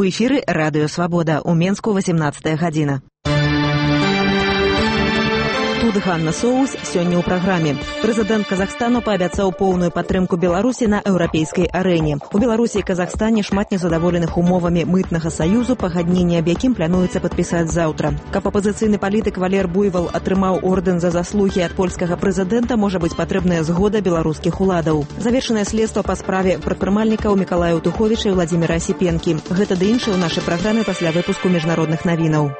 эфіры радыё Свабода. У Менску 18 гадзіна. Тут Ганна Соус сёння ў праграме. Прэзідэнт Казахстану паабяцаў поўную падтрымку Беларусі на еўрапейскай арэне. У Беларусі і Казахстане шмат незадаволеных умовамі мытнага саюзу, пагадненне аб якім плануецца падпісаць заўтра. Каб апазіцыйны палітык Валер Буйвал атрымаў ордэн за заслугі ад польскага прэзідэнта, можа быць патрэбная згода беларускіх уладаў. Завершанае следства па справе прадпрымальнікаў Мікалая Туховіча і Владзіміра Асіпенкі. Гэта ды іншае ў нашай праграме пасля выпуску міжнародных навінаў.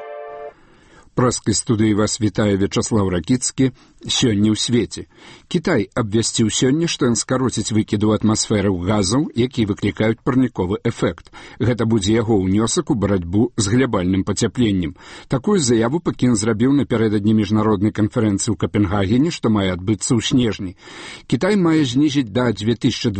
Праскай студыі вас вітае Вячаслаў Ракіцкі. Сёння ў свеце. Кітай абвясціў сёння, што ён скароціць выкіды ў атмасферу газаў, якія выклікаюць парніковы эфект. Гэта будзе яго ўнёсак у барацьбу з глябальным пацяпленнем. Такую заяву Пекін зрабіў напярэдадні міжнароднай канферэнцыі ў Капенгагене, што мае адбыцца ў снежні. Кітай мае знізіць да 2020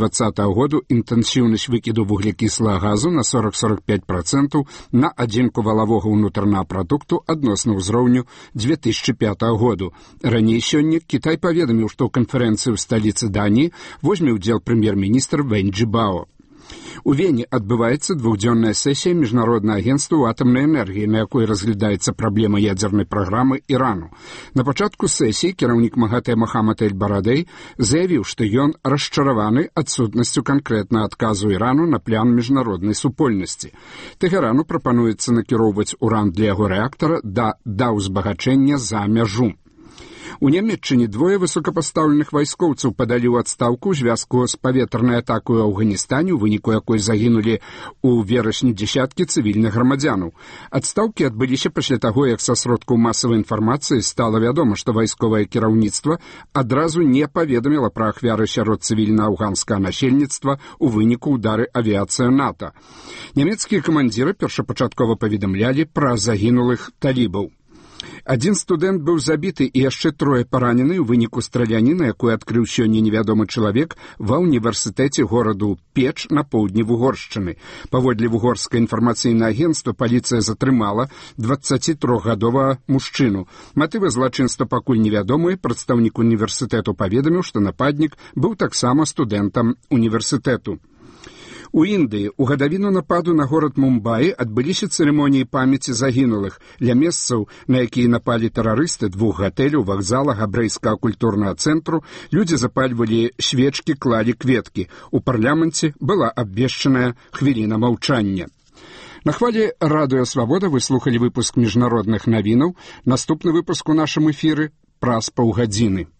году інтэнсіўнасць выкіду вуглекіслага газу на 40-45% на адзінку валавога ўнутранага прадукту адносна ўзроўню 2005 году. Раней сёння Кітай паведаміў, што ў канферэнцыі ў сталіцы Даніі возьме ўдзел прэм'ер-міністр Вэнь Чжібао. У Вене адбываецца двухдзённая сесія Міжнароднага агенцтва атамнай энергіі, на якой разглядаецца праблема ядзернай праграмы Ірану. На пачатку сесіі кіраўнік МАГАТЭ Мохаммад Эль-Барадэй заявіў, што ён расчараваны адсутнасцю канкрэтнага адказу Ірану на план міжнароднай супольнасці. Тэхерану прапануецца накіроўваць уран для яго рэактара да ўзбагачэння за мяжу. У Нямецчыне двое высокапастаўленых вайскоўцаў падалі ў адстаўку ў звязку з паветранай атакай у Афганістане, у выніку якой загінулі ў верасні дзесяткі цывільных грамадзянаў. Адстаўкі адбыліся пасля таго, як са сродкаў масавай інфармацыі стала вядома, што вайсковае кіраўніцтва адразу не паведаміла пра ахвяры сярод цывільна-афганскага насельніцтва ў выніку ўдары авіяцыі НАТО. Нямецкія камандзіры першапачаткова паведамлялі пра загінулых талібаў. Адзін студэнт быў забіты і яшчэ трое паранены ў выніку страляніны, якую адкрыў сёння невядомы чалавек ва ўніверсітэце гораду Печ на поўдні Вугоршчыны. Паводле вугорскае інфармацыйнае агенцтва паліцыя затрымала 23-гадовага мужчыну. Матывы злачынства пакуль невядомыя. Прадстаўнік універсітэту паведаміў, што нападнік быў таксама студэнтам універсітэту. У Індыі ў гадавіну нападу на горад Мумбаі адбыліся цырымоніі памяці загінулых. Ля месцаў, на якія напалі тэрарысты, двух гатэляў, вакзала, габрэйскага культурнага цэнтру, людзі запальвалі свечкі, клалі кветкі. У парламенце была абвешчаная хвіліна маўчання. На хвалі радыё Свабода вы слухалі выпуск міжнародных навінаў. Наступны выпуск у нашым эфіры праз паўгадзіны.